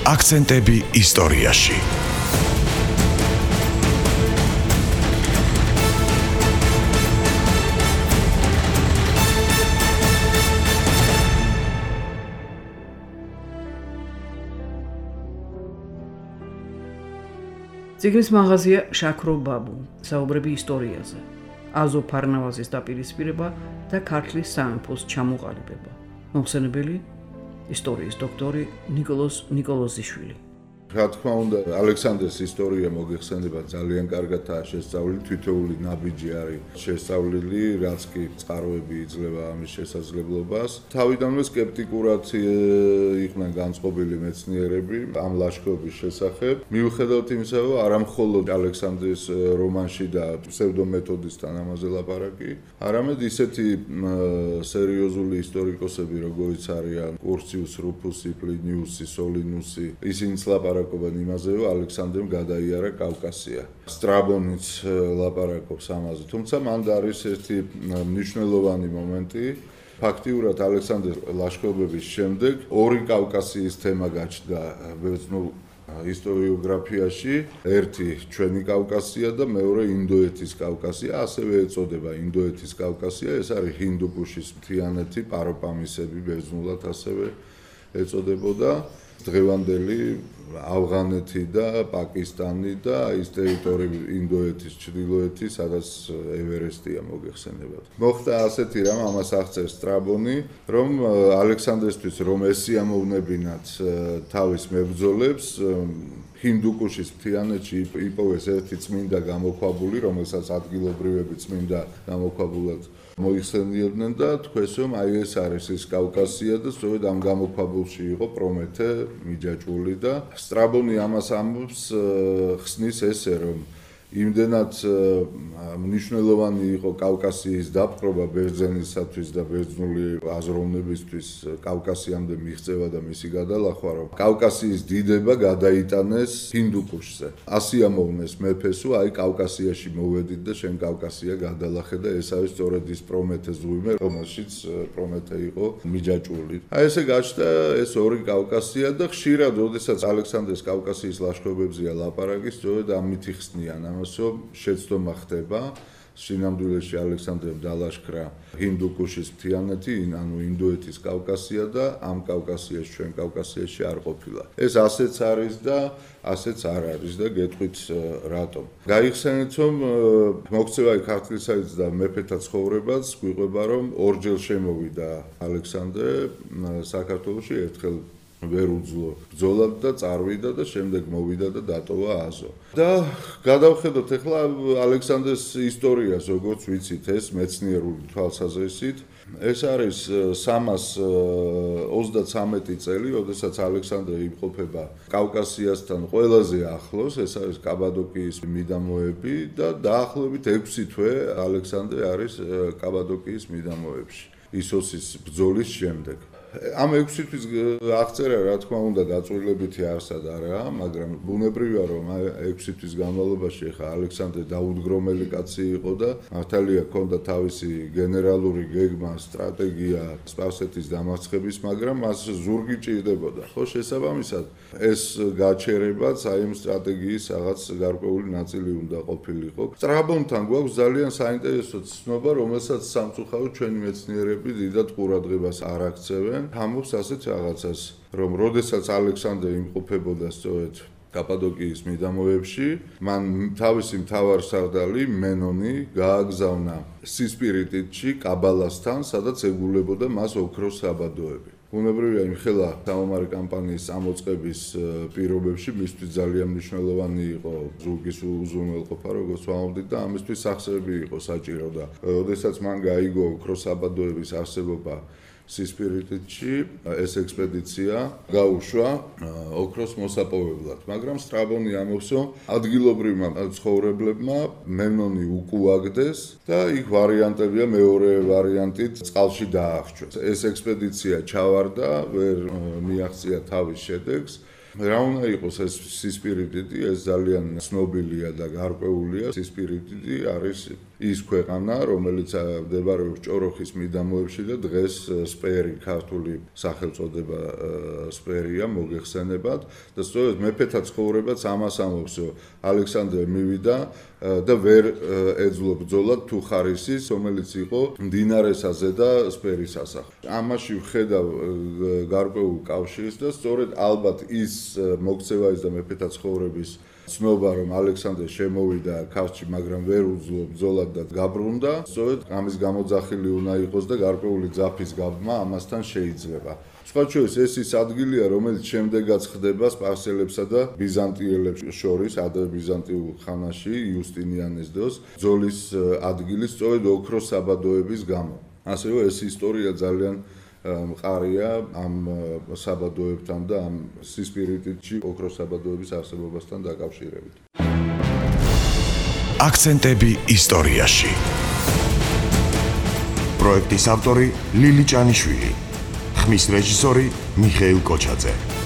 აქცენტები ისტორიაში. ციგნის მაღაზია შაქრო ბაბუ, საუბრები ისტორიაზე, აზო ფარნავაზის დაპირისპირება და ქართლის სამეფოს ჩამოყალიბება. მოხსენებელი ისტორიის დოქტორი ნიკოლოზ ნიკოლოზიშვილი. რა თქმა უნდა, ალექსანდრეს ისტორია მოგეხსენება ძალიან კარგადაა შესწავლილი, თითოეული ნაბიჯი არის შესწავლილი, რაც კი წყაროები იძლევა ამის შესაძლებლობას. თავიდანვე სკეპტიკურად იყვნენ განწყობილი მეცნიერები ამ ლაშქრობის შესახებ. მიუხედავად იმისა, რომ არა მხოლოდ ალექსანდრეს რომანში და ფსევდომეთოდისთან ამაზე ლაპარაკი, არამედ ისეთი სერიოზული ისტორიკოსები, როგორიც არიან კურციუს, რუფუსი, პლინიუსი, სოლინუსი, ისინიც ლაპარაკობენ იმაზე, რომ ალექსანდრემ გადაიარა კავკასია. სტრაბონიც ლაპარაკობს ამაზე, თუმცა მან არის ერთი მნიშვნელოვანი მომენტი. ფაქტიურად ალექსანდრეს ლაშქრობების შემდეგ ორი კავკასიის თემა გაჩნდა ბერძნულ ისტორიოგრაფიაში, ერთი ჩვენი კავკასია და მეორე ინდოეთის კავკასია, ასევე ეწოდება ინდოეთის კავკასია, ეს არის ჰინდუკუშის მთიანეთი, პაროპამისები ბერძნულად ასევე ეწოდებოდა. დღევანდელი ავღანეთი და პაკისტანი და ის ტერიტორია ინდოეთის ჩრდილოეთი, სადაც ევერესტია მოგეხსენებათ. მოხდა ასეთი რამ, ამას აღწერს სტრაბონი, რომ ალექსანდრესთვის რომ ესიამოვნებინათ თავის მებრძოლებს, ჰინდუკუშის მთიანეთში იპოვეს ერთი წმინდა გამოქვაბული, რომელსაც ადგილობრივები წმინდა გამოქვაბულად მოიხსენიებდნენ და თქვეს, რომ აი ეს არის ის კავკასია და სწორედ ამ გამოქვაბულში იყო პრომეთე მიჯაჭვული და სტრაბონი ამას ამბობს, ხსნის ესე, რომ იმდენად მნიშვნელოვანი იყო კავკასიის დაპყრობა ბერძენისათვის და ბერძნული აზროვნებისთვის კავკასიამდე მიღწევა და მისი გადალახვა, რომ კავკასიის დიდება გადაიტანეს ჰინდუკუშზე. ასიამოვნეს მეფესო, აი კავკასიაში მოვედით და შენ კავკასია გადალახე და ეს არის სწორედ ის პრომეთეს ზღვიმე, რომელშიც პრომეთე იყო მიჯაჭვული. აი ესე გაჩნდა ეს ორი კავკასია და ხშირად, როდესაც ალექსანდრეს კავკასიის ლაშქრობებზეა ლაპარაკი, სწორედ ამით იხსნიან ამას, რომ შეცდომა ხდება სინამდვილეში ალექსანდრემ დალაშქრა ჰინდუკუშის მთიანეთი, ანუ ინდოეთის კავკასია და ამ კავკასიაში ჩვენ კავკასიაში არ ყოფილა. ეს ასეც არის და ასეც არ არის და გეტყვით რატომ. გაიხსენეთ, რომ მოქცევა ქართლისაიც და მეფეთა ცხოვრებაც გვიყვება, რომ ორჯერ შემოვიდა ალექსანდრე საქართველოში, ერთხელ ვერ უძლო ბრძოლად და წარვიდა და შემდეგ მოვიდა და დატოვა აზო. და გადავხედოთ ახლა ალექსანდრეს ისტორიას, როგორც ვიცით, ეს მეცნიერული თვალსაზრისით. ეს არის 323 წელი, როდესაც ალექსანდრე იმყოფება კავკასიასთან ყველაზე ახლოს, ეს არის კაბადოკიის მიდამოები და დაახლოებით 6 თვე ალექსანდრე არის კაბადოკიის მიდამოებში, ისოსის ბრძოლის შემდეგ. ამ 6 თვის აღწერა, რა თქმა უნდა, დაწვრილებითი არსად არაა, მაგრამ ბუნებრივია, რომ 6 თვის განმავლობაში ხა ალექსანდრე დაუდგრომელი კაცი იყო და მართალია ჰქონდა თავისი გენერალური გეგმა, სტრატეგია სპარსეთის დამარცხების, მაგრამ მას ზურგი ჭირდებოდა. ხო, შესაბამისად, ეს გაჩერებაც აი ამ სტრატეგიის რაღაც გარკვეული ნაწილი უნდა ყოფილიყო. სტრაბონთან გვაქვს ძალიან საინტერესო ცნობა, რომელსაც სამწუხაროდ ჩვენი მეცნიერები დიდად ყურადღებას არ აქცევენ. ამბობს ასეთ რაღაცას, რომ როდესაც ალექსანდრე იმყოფებოდა სწორედ კაპადოკიის მიდამოებში, მან თავისი მთავარსარდალი მენონი გააგზავნა სისპირიტიდში კაბალასთან, სადაც ეგულებოდა მას ოქროს საბადოები. ბუნებრივია, იმხელა საომარი კამპანიის ამოწყების პირობებში მისთვის ძალიან მნიშვნელოვანი იყო ზურგის უზრუნველყოფა, როგორც ვამბობდით და ამისთვის სახსრები იყო საჭირო და როდესაც მან გაიგო ოქროს საბადოების არსებობა სისპირიტიდში, ეს ექსპედიცია გაუშვა ოქროს მოსაპოვებლად, მაგრამ სტრაბონი ამბობს, რომ ადგილობრივმა ცხოვრებლებმა მენონი უკუაგდეს და იქ ვარიანტებია, მეორე ვარიანტით წყალში დაახრჩვეს. ეს ექსპედიცია ჩავარდა, ვერ მიაღწია თავის შედეგს. რა უნდა იყოს ეს სისპირიტიდი, ეს ძალიან ცნობილია და გარკვეულია. სისპირიტიდი არის ის ქვეყანა, რომელიც მდებარეობს ჭოროხის მიდამოებში და დღეს სპერი, ქართული სახელწოდება სპერია, მოგეხსენებათ და სწორედ მეფეთა ცხოვრებაც ამას ამბობს, ალექსანდრე მივიდა და ვერ ეძლო ბრძოლად თუ ხარისის, რომელიც იყო მდინარესაზე და სპერის სასახლე. ამაში ვხედავ გარკვეულ კავშირს და სწორედ ალბათ ის მოქცევა ის და მეფეთა ცხოვრების ცნობა, რომ ალექსანდრე შემოვიდა ქართლში, მაგრამ ვერ უძლო ბრძოლად და გაბრუნდა, სწორედ ამის გამოძახილი უნდა იყოს და გარკვეული ძაფის გაბმა ამასთან შეიძლება. სხვა შორის ეს ის ადგილია, რომელიც შემდეგაც ხდება სპარსელებსა და ბიზანტიელებს შორის, ადრე ბიზანტიურ ხანაში, იუსტინიანეს დროს, ბრძოლის ადგილი სწორედ ოქროს საბადოების გამო. ასევე ეს ისტორია ძალიან მყარია ამ საბადოებთან და ამ სისპირიტში ოქროს საბადოების არსებობასთან დაკავშირებით. აქცენტები ისტორიაში. პროექტის ავტორი ლილი ჭანიშვილი. ხმის რეჟისორი მიხეილ კოჩაძე.